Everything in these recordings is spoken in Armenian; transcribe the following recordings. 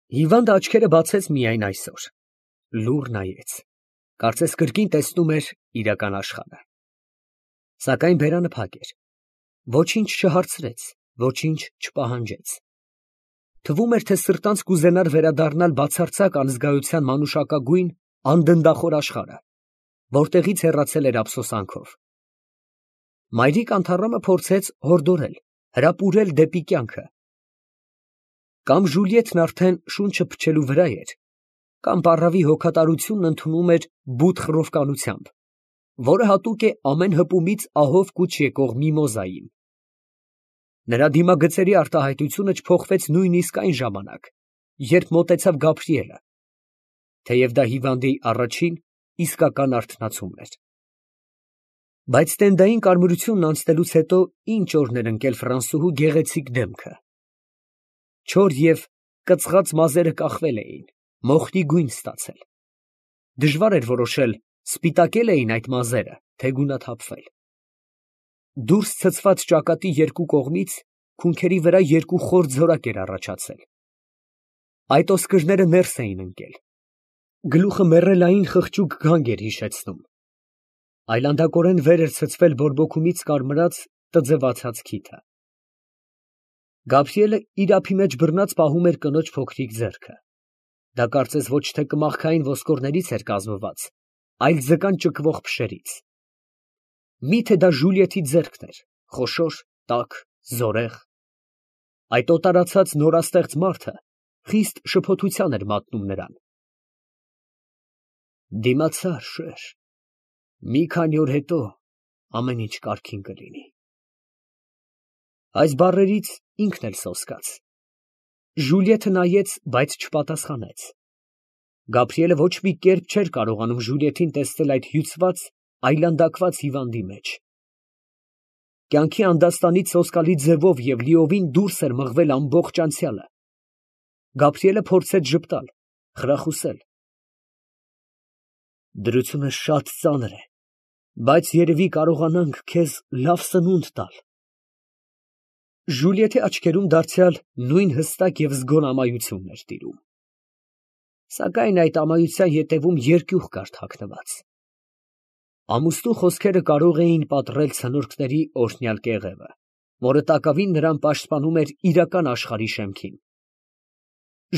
Հիվանդը աչքերը բացեց միայն այսօր, լուռ նայեց, կարծես կրկին տեսնում էր իրական աշխարհը։ Սակայն բերանը փակ էր, ոչինչ չհարցրեց, ոչինչ չպահանջեց։ Թվում էր, թե սրտանց կուզենար վերադառնալ բացարձակ անզգայության մանուշակագույն անդնդախոր աշխարհը, որտեղից հեռացել էր ափսոսանքով։ Մայրիկ Անթառամը փորձեց հորդորել, հրապուրել դեպի կյանքը։ Կամ Ժուլիետն արդեն շունչը փչելու վրա էր, կամ պառավի հոգատարությունն ընդունում էր բութ խռովկանությամբ, որը հատուկ է ամեն հպումից ահով կուչ եկող միմոզային։ Նրա դիմագծերի արտահայտությունը չփոխվեց նույնիսկ այն ժամանակ, երբ մոտեցավ Գաբրիելը, թեև դա հիվանդի առաջին իսկական արթնացումն էր։ Բայց տենդային կարմրությունն անցնելուց հետո ինչ օրներ ընկել Ֆրանսուհու գեղեցիկ դեմքը։ Չոր և կծղած մազերը կախվել էին, մոխրի գույն ստացել։ Դժվար էր որոշել, սպիտակել էին այդ մազերը, թե գունաթափվել։ Դուրս ցցված ճակատի երկու կողմից քունքերի վրա երկու խոր ձորակ էր առաջացել։ Այդ ոսկրները ներս էին ընկել։ Գլուխը մեռելային խղճուկ գանգ էր հիշեցնում։ Այլանդակորեն վեր էր ցցվել բորբոքումից կարմրած տձևացած քիթը։ Գաբրիելը իր ափի մեջ բռնած պահում էր կնոջ փոքրիկ ձեռքը։ Դա կարծես ոչ թե կմախքային ոսկորներից էր կազմված, այլ ձկան ճկվող փշերից։ Միթե դա Ժուլիետի ձեռքն էր, խոշոր, տաք, զորեղ։ Այդ օտարացած նորաստեղծ մարդը խիստ շփոթության էր մատնում նրան։ Դիմացար, շեր, մի քանի օր հետո ամեն ինչ կարգին կլինի։ Այս բառերից ինքն էլ սոսկաց։ Ժուլիետը նայեց, բայց չպատասխանեց։ Գաբրիելը ոչ մի կերպ չէր կարողանում Ժուլիետին տեսնել այդ հյուծված, այլանդակված հիվանդի մեջ։ Կյանքի անդաստանից սոսկալի ձևով և լիովին դուրս էր մղվել ամբողջ անցյալը։ Գաբրիելը փորձեց ժպտալ, խրախուսել։ Դրությունը շատ ծանր է, բայց երևի կարողանանք քեզ լավ սնունդ տալ։ Ժուլիետի աչքերում դարձյալ նույն հստակ և զգոն ամայությունն էր տիրում։ Սակայն այդ ամայության ետևում երկյուղ կար թաքնված։ Ամուսնու խոսքերը կարող էին պատռել ցնորքների օրհնյալ կեղևը, որը տակավին նրան պաշտպանում էր իրական աշխարհի շեմքին։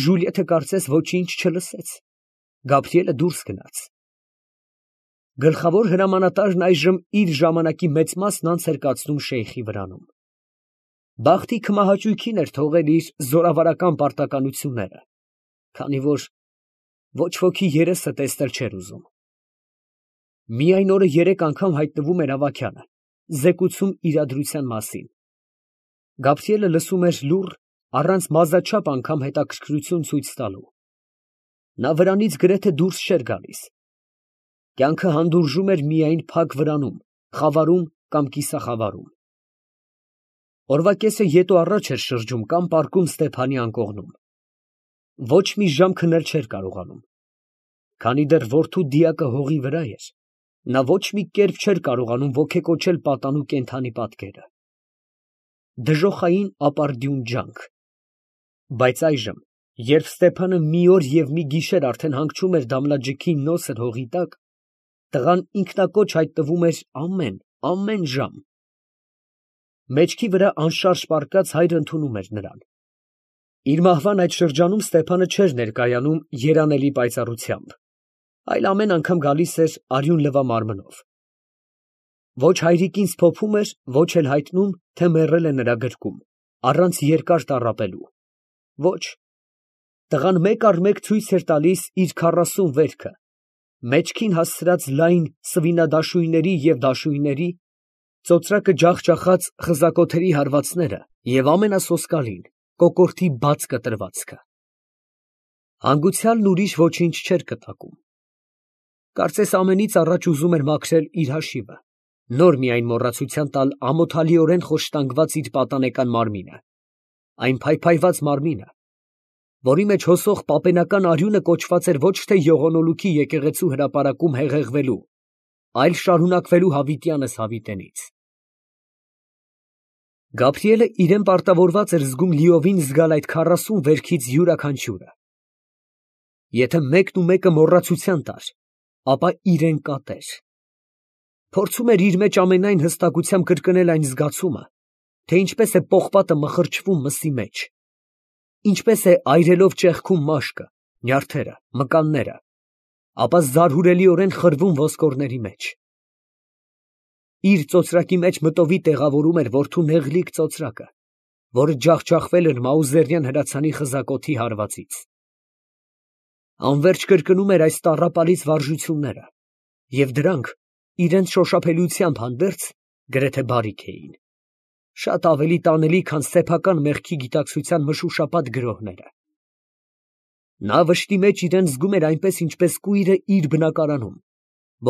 Ժուլիետը կարծես ոչինչ չլսեց։ Գաբրիելը դուրս գնաց։ Գլխավոր հրամանատարն այժմ իր ժամանակի մեծ մասն անց էր կացնում շեյխի վրանում։ Բախտի քմահաճույքին էր թողել իր զորավարական պարտականությունները, քանի որ ոչ ոքի երեսը տեսնել չէր ուզում։ Միայն օրը 3 անգամ հայտնվում էր ավագյանը, զեկուցում իրադրության մասին։ Գաբրիելը լսում էր լուռ, առանց մազաչափ անգամ հետաքրքրություն ցույց տալու։ Նա վրանից գրեթե դուրս չէր գալիս։ Կյանքը հանդուրժում էր միայն փակ վրանում, խավարում կամ կիսախավարում։ Օրվա կեսը ետո առաջ էր շրջում կամ պառկում Ստեփանի անկողնում։ Ոչ մի ժամ քնել չէր կարողանում։ Քանի դեռ որդու դիակը հողի վրա էր, նա ոչ մի կերպ չէր կարողանում ոգեկոչել պատանու կենդանի պատկերը։ Դժոխային ապարդյուն ջանք։ Բայց այժմ, երբ Ստեփանը մի օր և մի գիշեր արդեն հանգչում էր Դամլաջիքի նոսր հողի տակ, տղան ինքնակոչ հայտնվում էր ամեն ժամ։ Մեջքի վրա անշարժ պառկած հայրը ընդունում էր նրան։ Իր մահվան այդ շրջանում Ստեփանը չէր ներկայանում երանելի պայծառությամբ, այլ ամեն անգամ գալիս էր արյուն լվա մարմնով։ Ոչ հայրիկին սփոփում էր, ոչ էլ հայտնում, թե մեռել է նրա գրկում, առանց երկար տառապելու։ Ոչ, տղան մեկ առ մեկ ցույց էր տալիս իր 40 վերքը, մեջքին հասցրած լայն սվինադաշույների և դաշույնների, ծոծրակը ջախջախած խզակոթերի հարվածները և ամենասոսկալին կոկորդի բաց կտրվածքը։ Հանգուցյալն ուրիշ ոչինչ չէր կտակում։ Կարծես ամենից առաջ ուզում էր մաքրել իր հաշիվը, նոր միայն մոռացության տալ ամոթալիորեն խոշտանգված իր պատանեկան մարմինը, այն փայփայված մարմինը, որի մեջ հոսող պապենական արյունը կոչված էր ոչ թե եղունոլուքի եկեղեցու հրապարակում հեղեղվելու, այլ շարունակվելու հավիտյանս հավիտենից։ Գաբրիելը իրան պարտավորված էր զգում լիովին զգալ այդ 40 վերքից յուրաքանչյուրը, Եթե մեկն ու մեկը մոռացության տար, ապա իրեն կատեր։ Փորձում էր իր մեջ ամենայն հստակությամբ կրկնել այն զգացումը, թե ինչպես է պողպատը մխրճվում մսի մեջ, ինչպես է այրելով ճեղքում մաշկը, նյարդերը, մկանները, ապա զարհուրելիորեն խրվում ոսկորների մեջ։ Իր ծոծրակի մեջ մտովի տեղավորում էր որդու նեղլիկ ծոծրակը, որը ջախջախվել էր Մաուզերյան հրացանի խզակոթի հարվածից։ Անվերջ կրկնում էր այս տառապալից վարժությունները, և դրանք իրենց շոշափելիությամբ հանդերձ գրեթե բարիք էին, շատ ավելի տանելի, քան սեփական մեղքի գիտակցության մշուշապատ գրոհները։ Նա վշտի մեջ իրան զգում էր այնպես, ինչպես կույրը իր բնակարանում,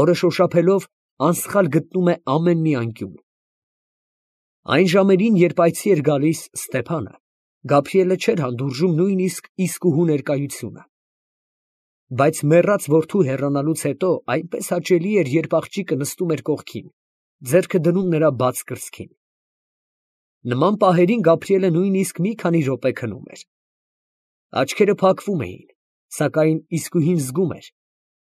որը շոշափելով անսխալ գտնում է ամեն մի անկյուն։ Այն ժամերին, երբ այցի էր գալիս Ստեփանը, Գաբրիելը չէր հանդուրժում նույնիսկ իսկուհու ներկայությունը։ Բայց մեռած որդու հեռանալուց հետո այնպես հաճելի էր, երբ աղջիկը նստում էր կողքին, ձեռքը դնում նրա բաց կրծքին։ Նման պահերին Գաբրիելը նույնիսկ մի քանի րոպե քնում էր։ Աչքերը փակվում էին, սակայն իսկուհին զգում էր,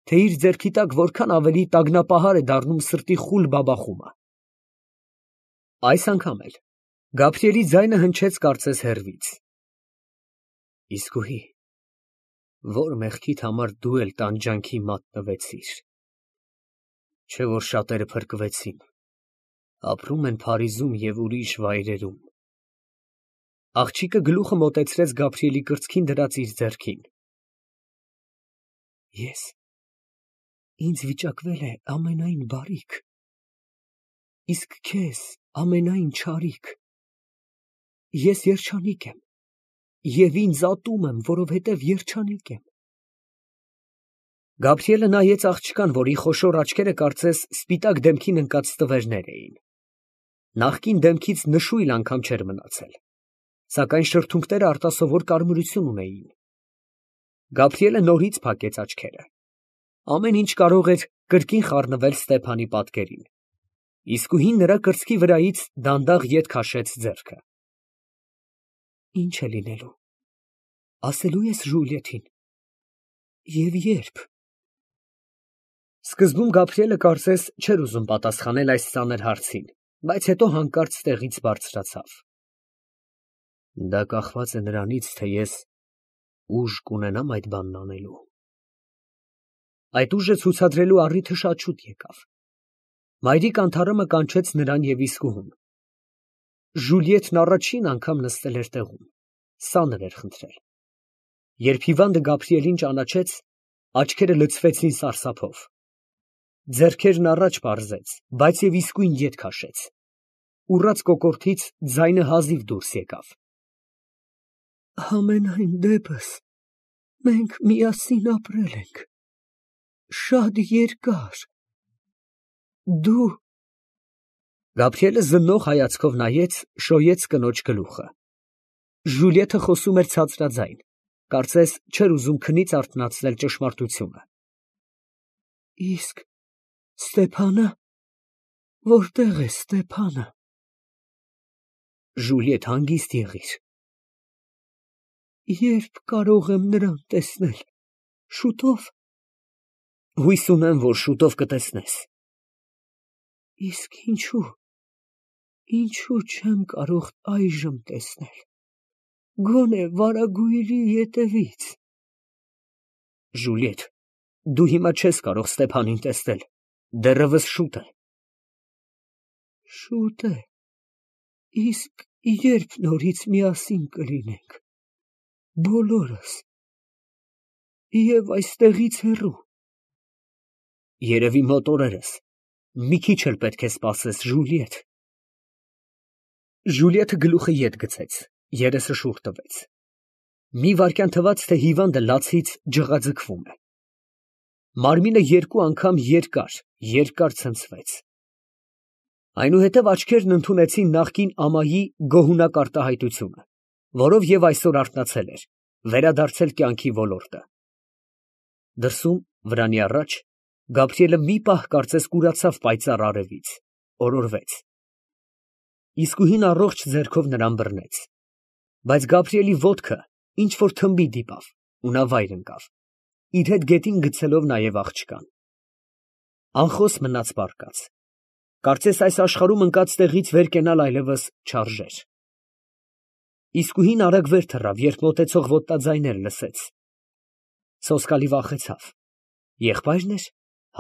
թե իր ձեռքի տակ որքան ավելի տագնապահար է դառնում սրտի խուլ բաբախումը։ Այս անգամ էլ Գաբրիելի ձայնը հնչեց կարծես հեռվից. Իսկուհի, որ մեղքիդ համար դու էլ տանջանքի մատնվեցիր, չէ՞ որ շատերը փրկվեցին, ապրում են Փարիզում և ուրիշ վայրերում։ Աղջիկը գլուխը մոտեցրեց Գաբրիելի կրծքին դրած իր ձեռքին։ Ինձ վիճակվել է ամենայն բարիք, իսկ քեզ ամենայն չարիք։ Ես երջանիկ եմ և ինձ ատում եմ, որովհետև երջանիկ եմ։ Գաբրիելը նայեց աղջկան, որի խոշոր աչքերը կարծես սպիտակ դեմքին ընկած ստվերներ էին։ Նախկին դեմքից նշույլ անգամ չէր մնացել, սակայն շրթունքները արտասովոր կարմրություն ունեին։ Գաբրիելը նորից փակեց աչքերը։ Ամեն ինչ կարող էր կրկին խառնվել Ստեփանի պատկերին։ Իսկուհին նրա կրծքի վրայից դանդաղ ետ քաշեց ձեռքը։ Ինչ է լինելու, ասելու ես Ժուլիետին, և երբ։ Սկզբում Գաբրիելը կարծես չէր ուզում պատասխանել այս ծանր հարցին, բայց հետո հանկարծ տեղից բարձրացավ։ Դա կախված է նրանից, թե ես ուժ կունենամ այդ բանն անելու։ Այդ ուժը ցուցադրելու առիթը շատ շուտ եկավ։ Մայրիկ անթառամը կանչեց նրան և իսկուհուն։ Ժուլիետն առաջին անգամ նստել էր տեղում, սանր էր խնդրել։ Երբ հիվանդը Գաբրիելին ճանաչեց, աչքերը լցվեցին սարսափով։ Ձեռքերն առաջ պարզեց, բայց և իսկույն ետ քաշեց։ Ուռած կոկորդից ձայնը հազիվ դուրս եկավ։ Համենայն դեպս, մենք միասին ապրել ենք, շատ երկար, դու… Գաբրիելը զննող հայացքով նայեց, շոյեց կնոջ գլուխը։ Ժուլիետը խոսում էր ցածրաձայն, կարծես չէր ուզում քնից արթնացնել ճշմարտությունը։ Իսկ Ստեփանը… Որտե՞ղ է Ստեփանը։ Ժուլիետ, հանգիստ եղիր։ Երբ կարող եմ նրան տեսնել, շուտո՞վ։ Հույս ունեմ, որ շուտով կտեսնես։ Իսկ ինչու չեմ կարող այժմ տեսնել, գոնե վարագույրի ետևից։ Ժուլիետ, դու հիմա չես կարող Ստեփանին տեսնել, դեռևս շուտ է։ Շուտ է, իսկ երբ նորից միասին կլինենք, բոլորս, և այստեղից հեռու։ Երևի մոտ օրերս, մի քիչ էլ պետք է սպասես, Ժուլիետ։ Ժուլիետը գլուխը ետ գցեց, երեսը շուռ տվեց։ Մի վայրկյան թվաց, թե հիվանդը լացից ջղաձգվում է։ Մարմինը երկու անգամ երկար ցնցվեց։ Այնուհետև աչքերն ընդունեցին նախկին ամայի գոհունակ արտահայտությունը, որով և այսօր արթնացել էր, վերադարձել կյանքի ոլորտը։ Դրսում, վրանի առաջ, Գաբրիելը մի պահ կարծես կուրացավ պայծառ արևից, օրորվեց։ Իսկուհին առողջ ձեռքով նրան բռնեց, բայց Գաբրիելի ոտքը ինչ֊որ թմբի դիպավ ու նա վայր ընկավ։ իր հետ գետին գցելով նաև աղջկան։ Անխոս մնաց պառկած։ Կարծես այս աշխարհում ընկած տեղից վեր կենալ այլևս չարժեր։ Իսկույն արագ վեր թռավ, երբ մոտեցող ոտնաձայներ լսեց։ Սոսկալի վախեցավ։ Եղբայրն էր,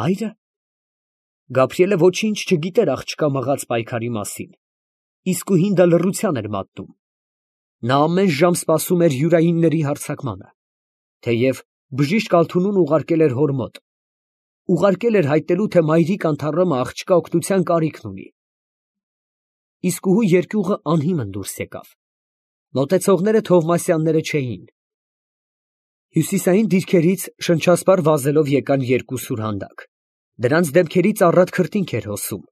հայրը։ Գաբրիելը ոչինչ չգիտեր աղջկա մղած պայքարի մասին։ Իսկույն դա լռության էր մատնում։ Նա ամեն ժամ սպասում էր յուրայինների հարձակմանը, թեև բժիշկ Ալթունուն ուղարկել էր հոր մոտ։ Ուղարկել էր հայտնելու, թե մայրիկ անթառամը աղջկա օգնության կարիքն ունի։ Իսկուհու երկյուղը անհիմն դուրս եկավ։ Մոտեցողները Թովմասյանները չէին։ Հյուսիսային դիրքերից շնչասպառ վազելով եկան երկու սուրհանդակ։ Դրանց դեմքերից առատ քրտինք էր հոսում,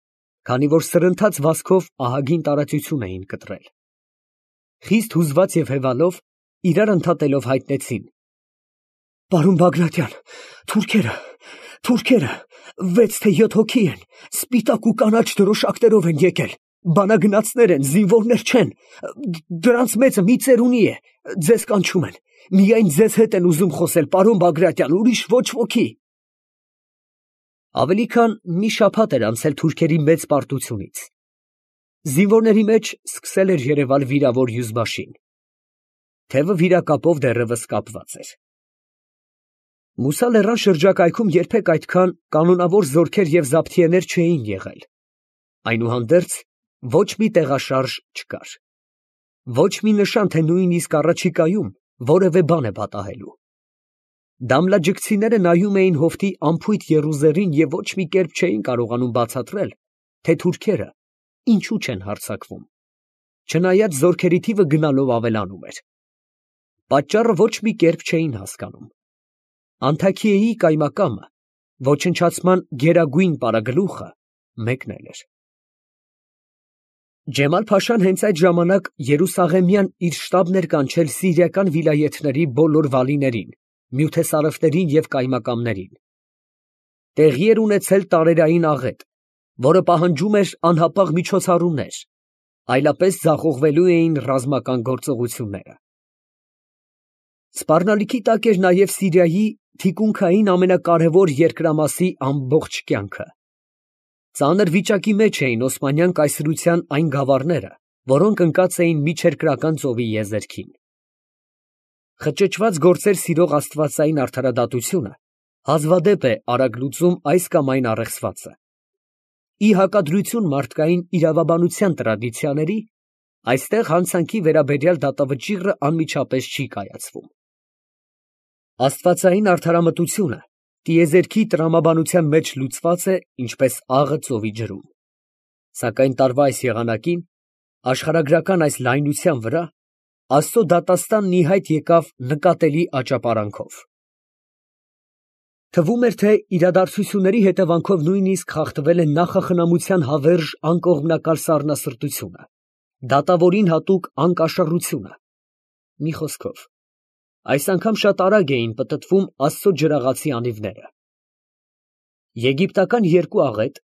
քանի որ սրընթաց վազքով ահագին տարածություն էին կտրել։ Խիստ հուզված և հևալով, իրար ընդհատելով հայտնեցին. «Պարոն Բագրատյան, թուրքերը, 6 թե 7 հոգի են, սպիտակ ու կանաչ դրոշակներով են եկել, բանագնացներ են, զինվորներ չեն, դրանց մեծը մի ծերունի է, ձեզ կանչում են, միայն ձեզ հետ են ուզում խոսել, պարոն Բագրատյան, ուրիշ ոչ ոքի»։ Ավելի քան մի շաբաթ էր անցել թուրքերի մեծ պարտությունից։ Զինվորների մեջ սկսել էր երևալ վիրավոր յուզբաշին։ Թևը վիրակապով դեռևս կապված էր։ Մուսա լեռան շրջակայքում երբեք այդքան կանոնավոր զորքեր և զաբթիեներ չէին եղել։ Այնուհանդերձ ոչ մի տեղաշարժ չկար։ Ոչ մի նշան, թե նույնիսկ առաջիկայում որևէ բան է պատահելու։ Դամլաջգցիները նայում էին հովտի անփույթ եռուզեռին և ոչ մի կերպ չէին կարողանում բացատրել, թե թուրքերը ինչու չեն հարձակվում, չնայած զորքերի թիվը գնալով ավելանում էր։ Պատճառը ոչ մի կերպ չէին հասկանում։ Անթաքիեի կայմակամը, ոչնչացման գերագույն պարագլուխը մեկն էր։ Ջեմալ֊փաշան հենց այդ ժամանակ Երուսաղեմյան իր շտաբն էր կանչել սիրիական վիլայեթների բոլոր վալիներին, նյութեսարևներին և կայմակամներին։ Տեղի էր ունեցել տարերային աղետ, որը պահանջում էր անհապաղ միջոցառումներ, այլապես ձախողվելու էին ռազմական գործողությունները։ Սպառնալիքի տակ էր նաև Սիրիայի թիկունքային ամենակարևոր երկրամասի ամբողջ կյանքը։ Ծանր վիճակի մեջ էին Օսմանյան կայսրության այն գավառները, որոնք ընկած էին Միջերկրական ծովի եզերքին։ Խճճված գործեր սիրող աստվածային արդարադատությունը հազվադեպ է արագ լուծում այս կամ այն առեղծվածը։ Ի հակադրություն մարդկային իրավաբանության տրադիցիաների, այստեղ հանցանքի վերաբերյալ դատավճիռը անմիջապես չի կայացվում։ Աստվածային արդարամտությունը տիեզերքի տրամաբանության մեջ լուծված է, ինչպես աղը ծովի ջրում։ Սակայն տարվա այս եղանակին, աշխարհագրական այս լայնության վրա, Աստծո դատաստանն ի հայտ եկավ նկատելի աճապարանքով։ Թվում էր, թե իրադարձությունների հետևանքով նույնիսկ խախտվել է նախախնամության հավերժ անկողմնակալ սառնասրտությունը, դատավորին հատուկ անկաշռությունը։ Մի խոսքով, այս անգամ շատ արագ էին պտտվում Աստծո ջրաղացի անիվները։ Եգիպտական երկու աղետ,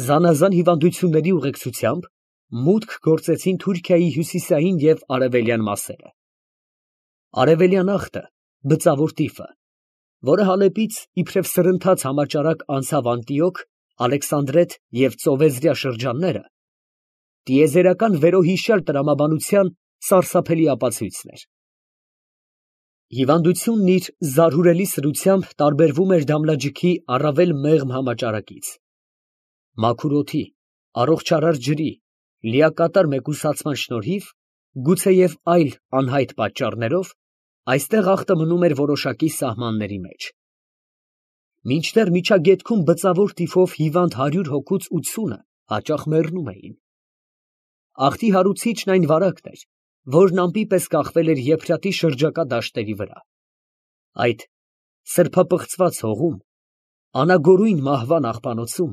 զանազան հիվանդությունների ուղեկցությամբ, մուտք գործեցին Թուրքիայի հյուսիսային և արևելյան մասերը։ Արևելյան աղտը, բծավոր տիֆը, որը Հալեպից իբրև սրընթաց համաճարակ անցավ Անտիոք, Ալեքսանդրետ և ծովեզրյա շրջանները, տիեզերական վերոհիշյալ տրամաբանության սարսափելի ապացույցն էր։ Հիվանդությունն իր զարհուրելի սրությամբ տարբերվում էր դամլաջգի առավել մեղմ համաճարակից։ Մաքուր օդի, առողջարար ջրի, լիակատար մեկուսացման շնորհիվ, գուցեև այլ անհայտ պատճառներով, այստեղ աղտը մնում էր որոշակի սահմանների մեջ։ Մինչդեռ միջագետքում բծավոր տիֆով հիվանդ 100 հոգուց 80-ը հաճախ մեռնում էին։ Աղտի հարուցիչն այն վարակն էր, որն ամպի պես կախվել էր Եփրատի շրջակա դաշտերի վրա։ Այդ սրբապղծված հողում, անագորույն մահվան աղբանոցում,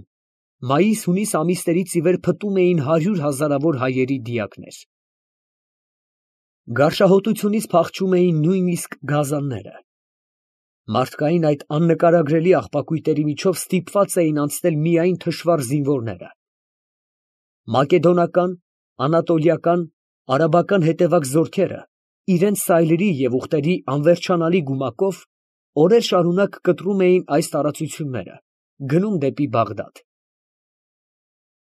մայիս֊հունիս ամիսներից ի վեր փտում էին 100 հազարավոր հայերի դիակներ։ Գարշահոտությունից փախչում էին նույնիսկ գազանները։ Մարդկային այդ աննկարագրելի աղբակույտերի միջով ստիպված էին անցնել միայն թշվառ զինվորները։ Մակեդոնական, անատոլիական, արաբական հետևակ զորքերը իրենց սայլերի և ուղտերի անվերջանալի գումակով օրեր շարունակ կտրում էին այս տարածությունները, գնում դեպի Բաղդադ։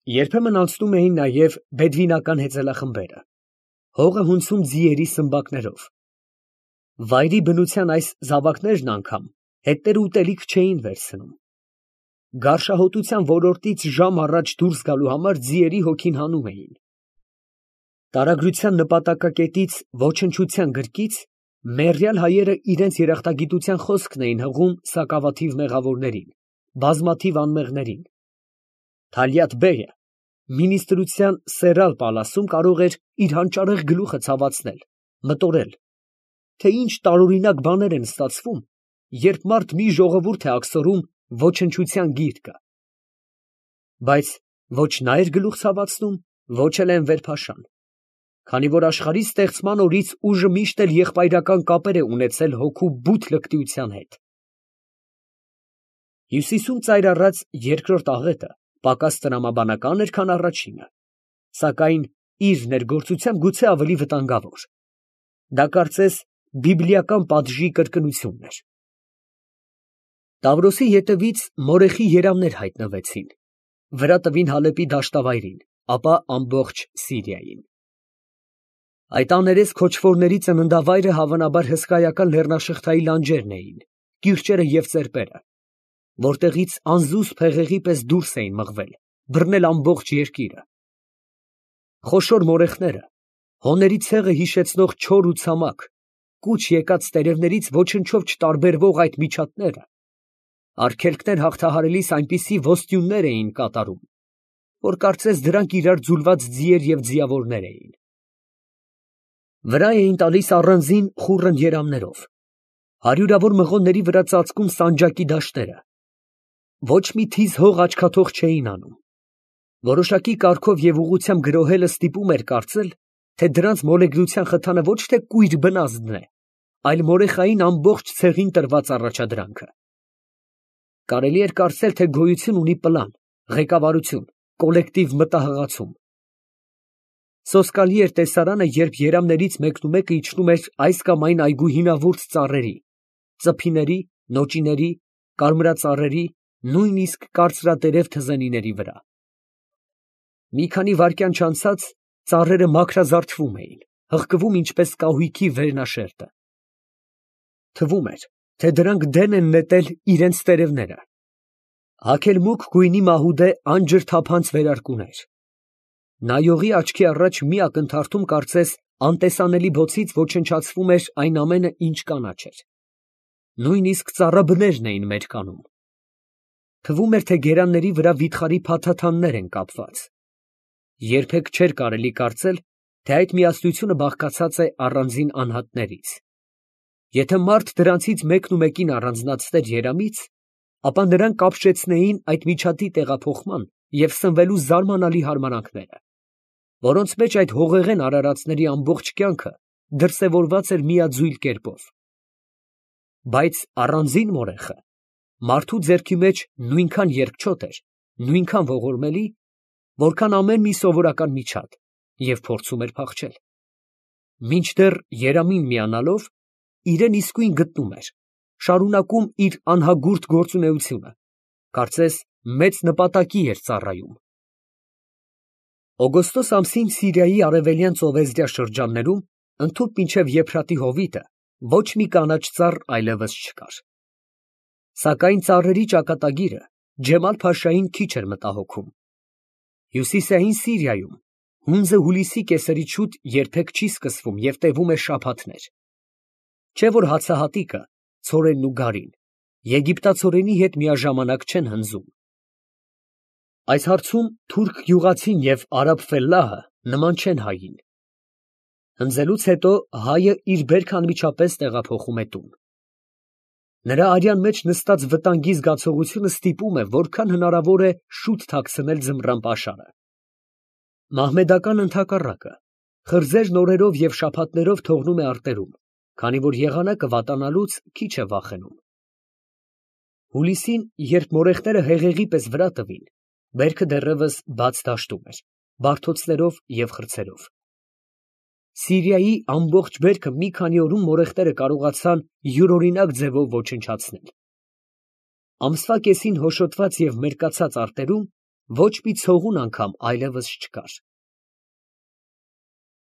Երբեմն անցնում էին նաև բեդվինական հեծելախմբերը, հողը հունցում ձիերի սմբակներով։ Վայրի բնության այս զավակներն անգամ հետները ուտելիք չէին վերցնում։ Գարշահոտության ոլորտից ժամ առաջ դուրս գալու համար ձիերի հոգին հանում էին։ Տարագրության նպատակակետից ոչնչության գրկից մեռյալ հայերը իրենց երախտագիտության խոսքն էին հղում սակավաթիվ մեղավորներին, բազմաթիվ անմեղներին։ Թալյաթ բեգը մինիստրության սերալ պալասում կարող էր իր հանճարեղ գլուխը ցավացնել, մտորել, թե ինչ տարօրինակ բաներ են ստացվում, երբ մարդ մի ժողովուրդ է աքսորում ոչնչության գիրկը։ Բայց ոչ նա էր գլուխ ցավացնում, ոչ էլ Էնվեր փաշան, քանի որ աշխարհի ստեղծման օրից ուժը միշտ էլ եղբայրական կապեր է ունեցել հոգու բութ լկտիության հետ։ Հյուսիսում ծայր առած երկրորդ աղետը պակաս տրամաբանական էր, քան առաջինը, սակայն իր ներգործությամբ գուցե ավելի վտանգավոր։ Դա կարծես բիբլիական պատժի կրկնությունն էր։ Տավրոսի ետևից մորեխի երամներ հայտնվեցին, վրա տվին Հալեպի դաշտավայրին, ապա ամբողջ Սիրիային։ Այդ աներես քոչվորների ծննդավայրը հավանաբար հսկայական լեռնաշղթայի լանջերն էին, կիրճերը և ծերպերը, որտեղից անզուս փեղեղի պես դուրս էին մղվել, բռնել ամբողջ երկիրը։ Խոշոր մորեխները, հոների ցեղը հիշեցնող չոր ու ցամաք, կուչ եկած տերևներից ոչնչով չտարբերվող այդ միջատները, արգելքներ հաղթահարելիս այնպիսի ոստյուններ էին կատարում, որ կարծես դրանք իրար ձուլված ձիեր և ձիավորներ էին։ Վրա էին տալիս առանձին խուռն երամներով, հարյուրավոր մղոնների վրա ծածկում սանջակի դաշտերը, ոչ մի թիզ հող աչքաթող չէին անում։ Որոշակի կարգով և ուղղությամբ գրոհելը ստիպում էր կարծել, թե դրանց մոլեգնության խթանը ոչ թե կույր բնազդն է, այլ մորեխային ամբողջ ցեղին տրված առաջադրանքը։ Կարելի էր կարծել, թե գոյություն ունի պլան, ղեկավարություն, կոլեկտիվ մտահղացում։ Սոսկալի էր տեսարանը, երբ երամներից մեկնումեկը իջնում էր այս կամ այն այգու հինավուրց ծառերի, ծփիների, նոճիների, կարմրածառերի, նույնիսկ կարծրատերև թզենիների վրա։ Մի քանի վայրկյան չանցած ծառերը մաքրազարդվում էին, հղկվում ինչպես կահույքի վերնաշերտը։ Թվում էր, թե դրանք դեն են նետել իրենց տերևները։ Հագել մուգ գույնի մահուդե անջրթափանց վերարկուներ։ Նայողի աչքի առաջ մի ակնթարթում կարծես անտեսանելի բոցից ոչնչացվում էր այն ամենը, ինչ կանաչ էր։ Նույնիսկ ծառաբներն էին մերկանում։ Թվում էր, թե գերանների վրա վիթխարի փաթաթաններ են կապված։ Երբեք չէր կարելի կարծել, թե այդ միասնությունը բաղկացած է առանձին անհատներից։ Եթե մարդ դրանցից մեկն ու մեկին առանձնացներ երամից, ապա նրան կապշեցնեին այդ միջատի տեղափոխման և սնվելու զարմանալի հարմարանքները, որոնց մեջ այդ հողեղեն արարածների ամբողջ կյանքը դրսևորված էր միաձույլ կերպով։ Բայց առանձին մորեխը մարդու ձեռքի մեջ նույնքան երկչոտ էր, նույնքան ողորմելի, որքան ամեն մի սովորական միջատ, և փորձում էր փախչել։ Մինչդեռ երամին միանալով, իրեն իսկույն գտնում էր, շարունակում իր անհագուրդ գործունեությունը, կարծես մեծ նպատակի էր ծառայում։ Օգոստոս ամսին Սիրիայի արևելյան ծովեզդյա շրջաններում, ընդհուպ մինչև Եփրատի հովիտը, ոչ մի կանաչ ծառ այլևս չկար։ Սակայն ծառերի ճակատագիրը Ջեմալ֊փաշային քիչ էր մտահոգում։ Հյուսիսային Սիրիայում հունձը հուլիսի կեսերից շուտ երբեք չի սկսվում և տևում է շաբաթներ։ Չէ որ հացահատիկը, ցորենն ու գարին եգիպտացորենի հետ միաժամանակ չեն հնձում։ Այս հարցում թուրք գյուղացին և արաբ ֆելլահը նման չեն հային։ Հնձելուց հետո հայը իր բերքը անմիջապես տեղափոխում է տուն։ Նրա արյան մեջ նստած վտանգի զգացողությունը ստիպում է որքան հնարավոր է շուտ թաքցնել ձմռան պաշարը։ Մահմեդական ընդհակառակը խրձեր նորերով և շաբաթներով թողնում է արտերում, քանի որ եղանակը վատանալուց քիչ է վախենում։ Հուլիսին, երբ մորեխները հեղեղի պես վրա տվին, բերքը դեռևս բաց դաշտում էր, բարդոցներով և խրձերով։ Սիրիայի ամբողջ բերքը մի քանի օրում մորեխտերը կարողացան յուրօրինակ ձևով ոչնչացնել։ Ամսվա կեսին հոշոտված և մերկացած արտերում ոչ մի ցողուն անգամ այլևս չկար։